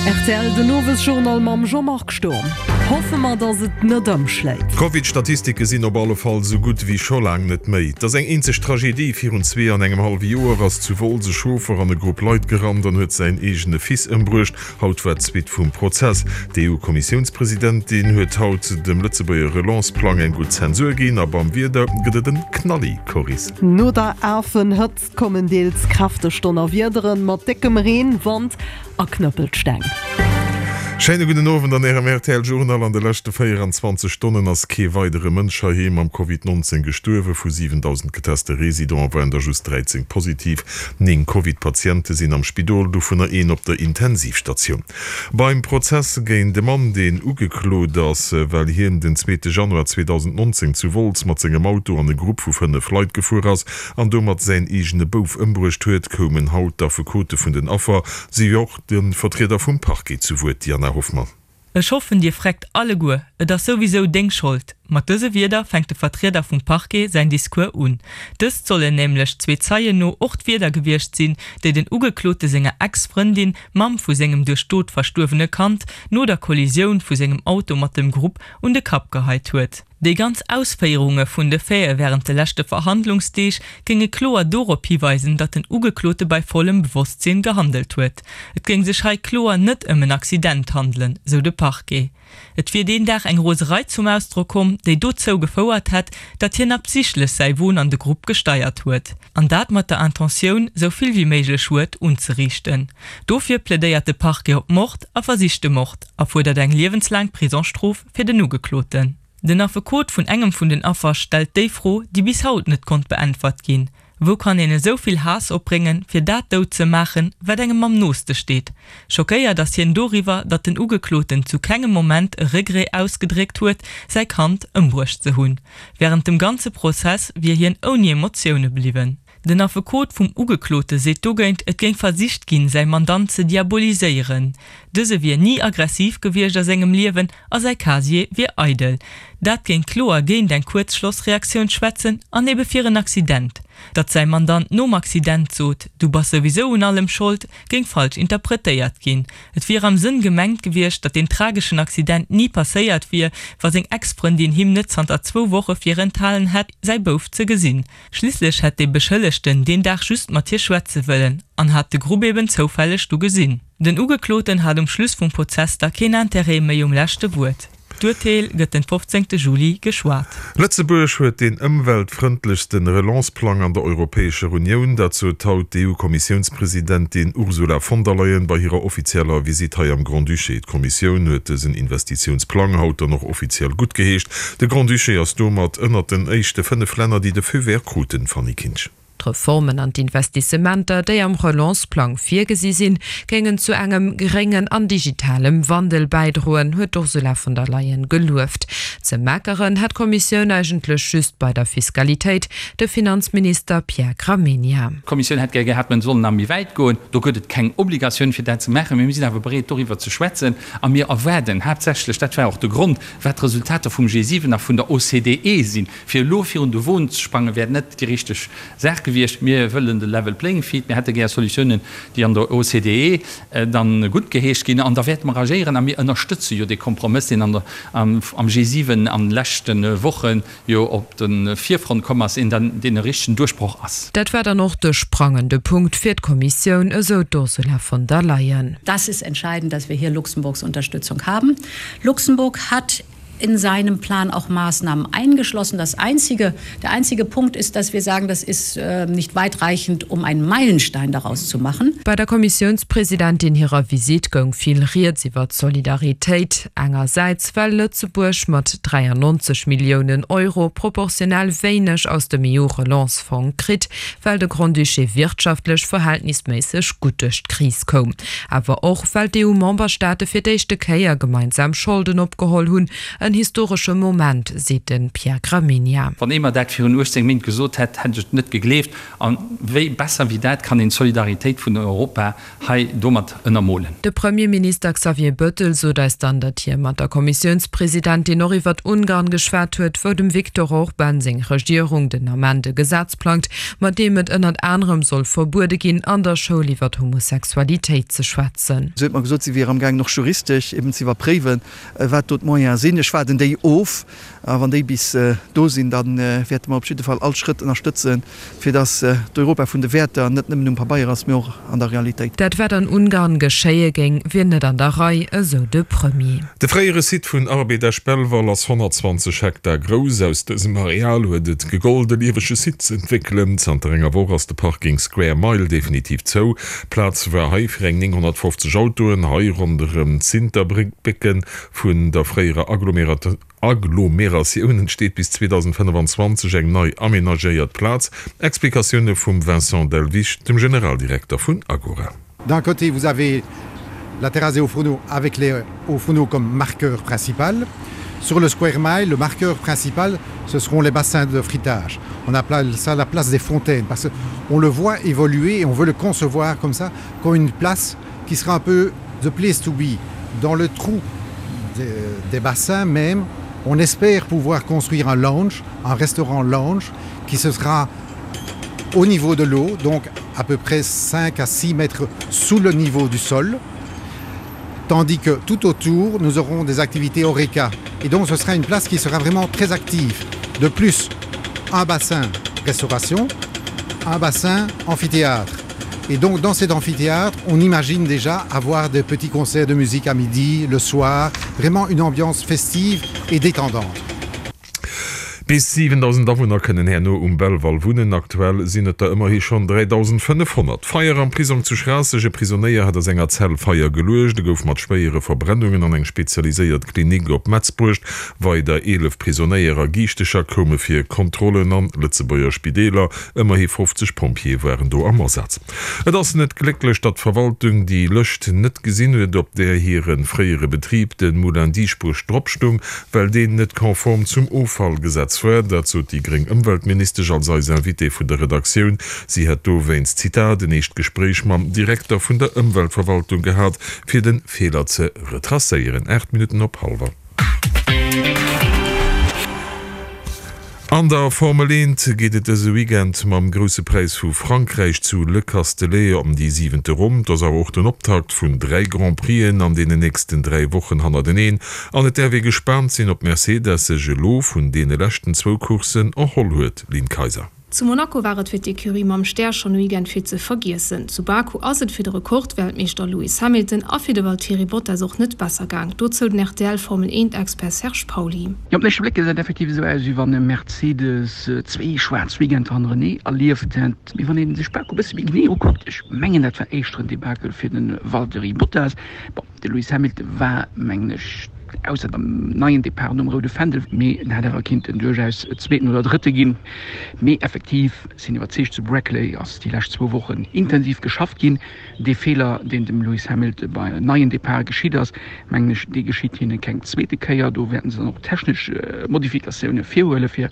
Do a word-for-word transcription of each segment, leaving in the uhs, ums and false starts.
Rtl, den Owesjournal mam Jean-Marc Sturm. Hoffe mer, dass et net ëmschléit. D'Covid-Statistike sinn op alle Fall sou gutt wéi scho laang net méi. Et ass eng eenzeg Tragedie, Virun zwee an engem hallwe Joer ass zu Wolz e Chauffer an e Grupp Leit gerannt an huet säin eegene Fils ëmbruecht. Haut war d'Suite vum Prozess. D'EU-Kommissiounspresidentin huet haut dem Lëtzebuerger Relance-Plang eng gutt Zensur ginn a beim Wieder gëtt et en Knalli-Choris. No der Afenhëtzt kommen deels kräfteg Donnerwiederen mat déckem Reen, Wand a Knëppelsteng. Schéine gudden Owend an Ärem rtl Journal. An de leschte véieranzwanzeg Stonnen ass kee weidere Mënsch heiheem am Covid nonzéng gestuerwen. Vu siwendausend geteste Residente waren der just dräizéng positiv. Néng Covid-Patiente sinn am Spidol, dovunner een op der Intensivstatioun. Beim Prozess géint e Mann, deen ugeklot ass, well hien den zweete Januar zweedausendnonzéng zu Wolz mat sengem Auto an e Grupp vu fënnef Leit gefuer ass an domat säin eegene Bouf ëmbruecht huet, koumen haut d'Affekote vun den Affer, si och de Vertrieder vum Parquet zu Wuert, Diana Hoffmann. Ech hoffen dir freckt alleguer, et ass souwisou deng Schold. Mat dëse Wierder fänkt de Vertrieder vum Parquet säin Discours un. Dëst sollen nämlech zwee Zeien no och d'Wierder gewiescht sinn, déi den Ugeklote senger Ex-Frëndin, Mamm vu sengem duerch Dod verstuerwene Kand, no der Kollisioun vu sengem Auto mat dem Grupp un de Kapp geheit huet. Déi ganz Ausféierunge vun de Faite wärend de leschte Verhandlungsdeeg géinge kloer dorop hiweisen, datt den Ugeklote bei vollem Bewosstsinn gehandelt huet. Et géing sech hei kloer net ëm en Accident handelen, sou de Parquet. Et wier deen Dag eng Roserei zum Ausdrock komm, déi dozou gefouert hätt, datt hien absichtlech säi Won an de Grupp gesteiert huet. An dat mat der Intentioun, sou vill wéi méiglech Schued unzeriichten. Dofir plädéiert de Parquet op Mord a versichte Mord a fuerdert eng liewenslaang Prisongsstrof fir den Ugekloten. Den Affekot vun engem vun den Affer stellt déi Fro, déi bis haut net konnt beäntwert ginn, Wou kann een esou vill Haass opbréngen, fir dat dout ze maachen, wat engem am nooste steet? Schockéiert ass hien doriwwer, datt den Ugekloten zu kengem Moment e Regret ausgedréckt huet, säi Kand ëmbruecht ze hunn. Wärend dem ganze Prozess wier hien ouni Emotioune bliwwen. Den Affekot vum Ugeklote seet dogéint, et géing versicht ginn, säi Mandant ze diaboliséieren. Dëse wier ni aggressiv gewiescht a sengem Liewen a säi Casier wier eidel. Dat géing kloer géint eng Kuerzschlossreaktioun schwätzen an ebe fir en Accident. Datt säi Mandant nom Accident sot, du bass souwisou un allem Schold, géing falsch interpretéiert ginn. Et wier am Sënn gemengt gewiescht, datt deen trageschen Accident ni passéiert wier, wa seng Ex-Frëndin him net zanter zwou Woche virenthalen hätt, säi Bouf ze gesinn. Schliisslech hätt de Beschëllegten deen Dag just mat hir schwätze wëllen an hat de Grupp eben zoufälleg du gesinn. Den Ugekloten hat um Schluss vum Prozess da keen Interêt méi um leschte Wuert. D'Urteel gëtt den fofzéngte Juli geschwat. Lëtzebuerg huet deen ëmweltfrëndlechste Relance-Plang an der Europäescher Unioun. Dat sot haut d'EU-Kommissiounspresidentin Ursula von der Leyen bei hirer offizieller Visitt hei am Grand-Duché. D'Kommissioun huet dësen Investitiounsplang haut dann och offiziell guttgeheescht. De Grand-Duché ass domat ënnert den éischte fënnef Länner, déi de Feu vert kruten, Fanny Kinsch. D'Reformen an d'Investissementer, déi am Relance-Plang virgesi sinn, géingen zu engem gréngen an digitalem Wandel bäidroen, huet d'Ursula von der Leyen gelueft. Ze meckeren hätt d'Kommissioun eigentlech just bei der Fiskalitéit, de Finanzminister Pierre Gramegna. D'Kommissioun hätt gär gehat, mir sollen nach méi wäit goen. Do gëtt et keng Obligatioun, fir dat ze maachen, mee mir sinn awer bereet, doriwwer ze schwätzen. A mir erwaarden haaptsächlech, dat war och de Grond, wat d'Resultater vum G siwen a vun der O C D E sinn. Fir elo virun de Won ze sprangen, wär net déi richteg Saach gewiescht. Mir wëllen de Level Playing Field. Mir hätte gär Solutiounen, déi an der O C D E dann guttgeheescht ginn. An da wäerte mer agéieren. A mir ënnerstëtze jo dee Kompromëss, deen an der, am G siwen an de leschte Woche jo op de Virfront komm ass, een dann, deen e richtegen Duerchbroch ass. Dat war dann och de sprangende Punkt fir d'Kommissioun, esou d'Ursula von der Leyen. Das ist entscheidend, dass wir hier Luxemburgs Unterstützung haben. Luxemburg hat in seinem Plan auch Maßnahmen eingeschlossen. Das einzige, der einzige Punkt ist, dass wir sagen, das ist äh, nicht weitreichend, um einen Meilenstein daraus zu machen. Bei der Kommissiounspresidentin hirer Visitt goung vill Rieds iwwer d'Solidaritéit, engersäits well Lëtzebuerg mat dräiannonzeg Milliounen Euro proportionell wéineg aus dem E U-Relance-Fong kritt, well de Grand-Duché wirtschaftlech verhältnisméisseg gutt duerch d'Kris koum, awer och well d'E U-Memberstaate fir d'éischte Kéier gemeinsam Scholden opgeholl hunn, En historesche Moment, seet de Pierre Gramegna. Wann ee mer dat virun uechtzéng Méint gesot hätt, hätt ech et net gegleeft. A wéi besser wéi dat kann een d'Solidaritéit vun Europa hei domat ënnermolen? De Premierminister Xavier Bettel sot eis dann, datt hie mat der Kommissiounspresidentin och iwwert Ungarn geschwat huet, wou dem Viktor Orban seng Regierung den Ament e Gesetz plangt, mat deem et ënnert anerem soll verbuede ginn, an der Schoul iwwert Homosexualitéit ze schwätzen. Si huet mer gesot, si wier amgaangen och juristesch eben ze iwwerpréiwen, wat do d'Moyene sinn. Ech waarden déi of, a wann déi bis do sinn, da wäerte mer op jidde Fall all Schrëtt ënnerstëtzen, fir datt d'Europa vun de Wäerter net nëmmen um Pabeier ass, mee och an der Realitéit. Dat wat an Ungarn geschéie géing, wier net an der Rei, esou de Premier. De fréiere Site vun Arbed Esch-Belval ass honnertzwanzeg Hektar grouss. Aus dësem Areal huet et gegollt, e liewege Site ze entwéckelen. Zanter enger Woch ass de Parking Square Mile definitiv zou. Plaz war hei fir eng nénghonnertfofzeg Autoen. Hei ronderëm d'Sinterbrécken vun der fréierer Agglomeratioun entsteet bis zweedausendfënnefanzwanzeg eng nei amenagéiert Plaz. Explikatioune vum Vincent Delvich, dem Generaldirekter vun Agora. D'un côté, vous avez la terrasse des hauts-fourneaux avec les hauts-fourneaux comme marqueur principal. Sur le Square Mile, le marqueur principal, ce seront les bassins de fritage. On appelle ça la place des fontaines parce qu'on le voit évoluer et on veut le concevoir comme ça, comme une place qui sera un peu the place to be. Dans le trou des, des bassins même, on espère pouvoir construire un lounge, un restaurant lounge qui se sera au niveau de l'eau, donc à peu près cinq à six mètres sous le niveau du sol, tandis que tout autour, nous aurons des activités Horeca. Et donc ce sera une place qui sera vraiment très active. De plus, un bassin restauration, un bassin amphithéâtre. Et donc dans cet amphithéâtre, on imagine déjà avoir des petits concerts de musique à midi, le soir, vraiment une ambiance festive et détendante. Bis siwendausend Awunner kënnen herno um Belval wunnen, aktuell sinn et der ëmmerhi schonn dräidausendfënnefhonnert. Feier am Prisong zu Schraasseg, E Prisonéier hat a senger Zell Feier geluecht. E gouf mat schwéiere Verbrennungen an eng spezialiséiert Klinik op Metz bruecht. Weider eelef Prisonéier a Giichtecher koume fir Kontrollen an Lëtzebuerger Spideeler. Ëmmerhi fofzeg Pompjeeë waren do am Asaz. Et ass net glécklech, datt d'Verwaltung déi Lëscht net gesinn huet, op där hire fréiere Betrib, de Moulin Dieschbourg, drop stung, well deen net konform zum Offallgesetz war. Dat sot déi gréng Ëmweltministesch als eis Invitée vun der Redaktioun. Si hätt dowéinst, Zitat, en éischt Gespréich mam Direkter vun der Ëmweltverwaltung gehat, fir de Feeler ze retracéieren. Aacht Minutten op hallwer. An der Formel eent geet et dëse Weekend mam Grousse Präis vu Frankräich zu Le Castellet ëm déi siwente Ronn. Et ass awer och den Optakt vun dräi Grand Prixen an deenen nächsten dräi Wochen hannerteneen an et däerf ee gespaant sinn, ob Mercedes sech elo vun deene leschten zwou Courssen erholl huet. Lynn Kayser. Zu Monaco war et fir d'Ecurie mam Stär schonn e Weekend fir ze vergiessen. Zu Baku ass et fir de Rekordweltmeeschter Lewis Hamilton a fir de Valtteri Bottas och net besser gaang. Dozou den R T L Formel eent Expert Serge Pauly. Jo, op den éischte Bléck gesäit et effektiv esou aus, wéi wann e Mercedes zwee schwaarz Weekender hannerenee erlieft hätt. Mee wann ee sech Baku e bësse méi genee ukuckt, ech mengen dat war éischter en Debakel fir de Valtteri Bottas. Bon, de Lewis Hamilton war, mengen ech, ausser dem neien Depart nom roude Fändel, mee en hätt awer kinnten duerchaus Zweeten oder Drëtte ginn. Mee effektiv sinn iwwerzeegt, zu Brackley ass déi lescht zwou Wochen intensiv geschafft ginn. Dee Feeler, deen dem Lewis Hamilton bei neien Depart geschitt ass, mengen ech, dee geschitt hinne keng zweete Kéier. Do wäerten se dann och technesch Modifikatioune virhuele fir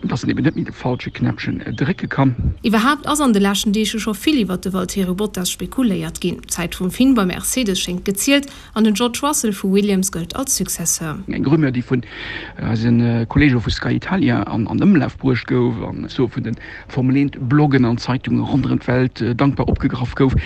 dass en eben net méi de falsche Knäppchen drécke kann. Iwwerhaapt ass an de leschten Deeg jo scho vill iwwert de Valtteri Bottas spekuléiert ginn. D'Zäit vum Finn bei Mercedes schéngt gezielt an den George Russell vu Williams gëllt als Successeur. Eng Rumeur, déi vun eise Kolleege vu Sky Italia an Ëmlaf bruecht gouf an esou vun de Formel eent Bloggen an Zeitunge ronderëm d'Welt dankbar opgegraff gouf.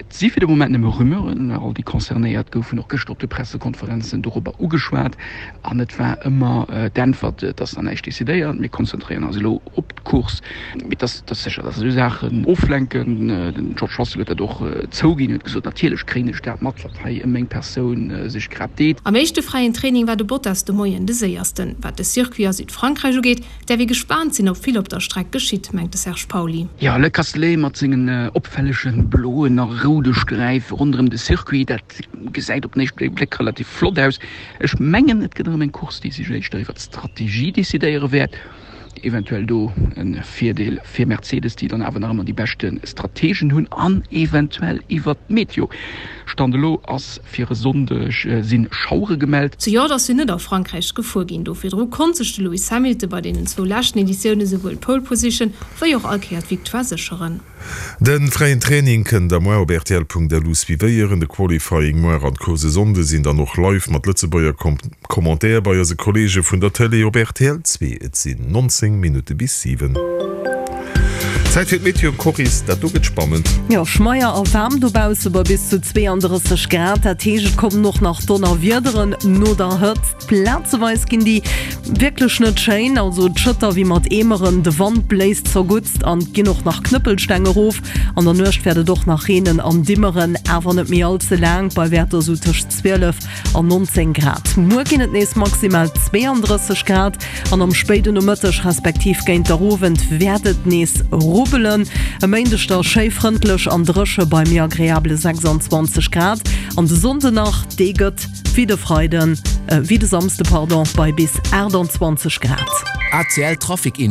Et si fir de Moment nëmme Rumeuren. All déi Concernéiert goufen och gëschter op de Pressekonferenzen dorobber ugeschwat an et war ëmmer d'Äntwert, Et ass nach näischt decidéiert, mir konzentréieren eis elo op d'Course. Mee et ass sécher, datt esou Saachen oflenken. Den George Russell huet dat och zouginn, huet gesot, Natierlech kréien ech dat mat, wat hei ëm meng Persoun sech grad deet. Am éischte fräien Training war de Bottas de Moien de séiersten. Wat de Circuit a Südfrankräich ugeet, däerf ee gespaant sinn, ob vill op der Streck geschitt, mengt de Serge Pauly. Jo, Le Castellet mat sengen opfällege bloen a roude Sträife ronderëm de Circuit, dat gesäit op den éischte Bléck relativ flott aus. Ech mengen, et gëtt erëm eng Course, déi sech éischter iwwer d'Strategie decidéiere wäert. Eventuell do e Virdeel fir Mercedes, déi dann awer nach ëmmer déi beschte Strategen hunn an eventuell iwwert d'Meteo. Stand elo ass fir e Sonndeg si Schauere gemellt. Zejoert ass hien net a Frankräich gefuer ginn. Do virdru konnt sech de Lewis Hamilton bei deenen zwou leschten Editioune souwuel d'Pole Position wéi och all Kéier d'Victoire sécheren. De fräien Training kënnt der muar op rtl.lu suivéieren. De Qualifying muar an d'Course e Sonnde sinn dann och live mat Lëtzebuerger Commentaire bei eise Kolleege vun der Tëlee op rtl zwee. Et sinn nonzéng Minutte bis siwen. Zäit fir d'Meteo, Coris, dat do gëtt spannend. Jo, schmeier a waarm dobausse bei bis zu zweeanddrësseg Grad. Dat heescht, et kommen och nach Donnerwiederen no der Hëtzt. Plazeweis ginn déi wierklech net schéin, also et schëtt da wéi mat Eemeren, de Wand bléist zerguttst an et ginn och nach Knëppelsteng erof. An der Nuecht wäert et och nach reenen an dimmeren, awer net méi all ze laang, bei Wäerter sou tëscht zwielef an nonzéng Grad. Muer ginn et nees maximal zweeanddrësseg Grad an am spéiden Nomëtteg respektiv géint der Owend wäert et nees rubbelen. E Méindeg da schéi frëndlech an dréche bei méi agreabele sechsandzwanzeg Grad an de Sonnde nach, dee gëtt wéi de Freiden, wéi de Samsde, pardon, bei bis aachtandzwanzeg Grad. A C L Trafic Info.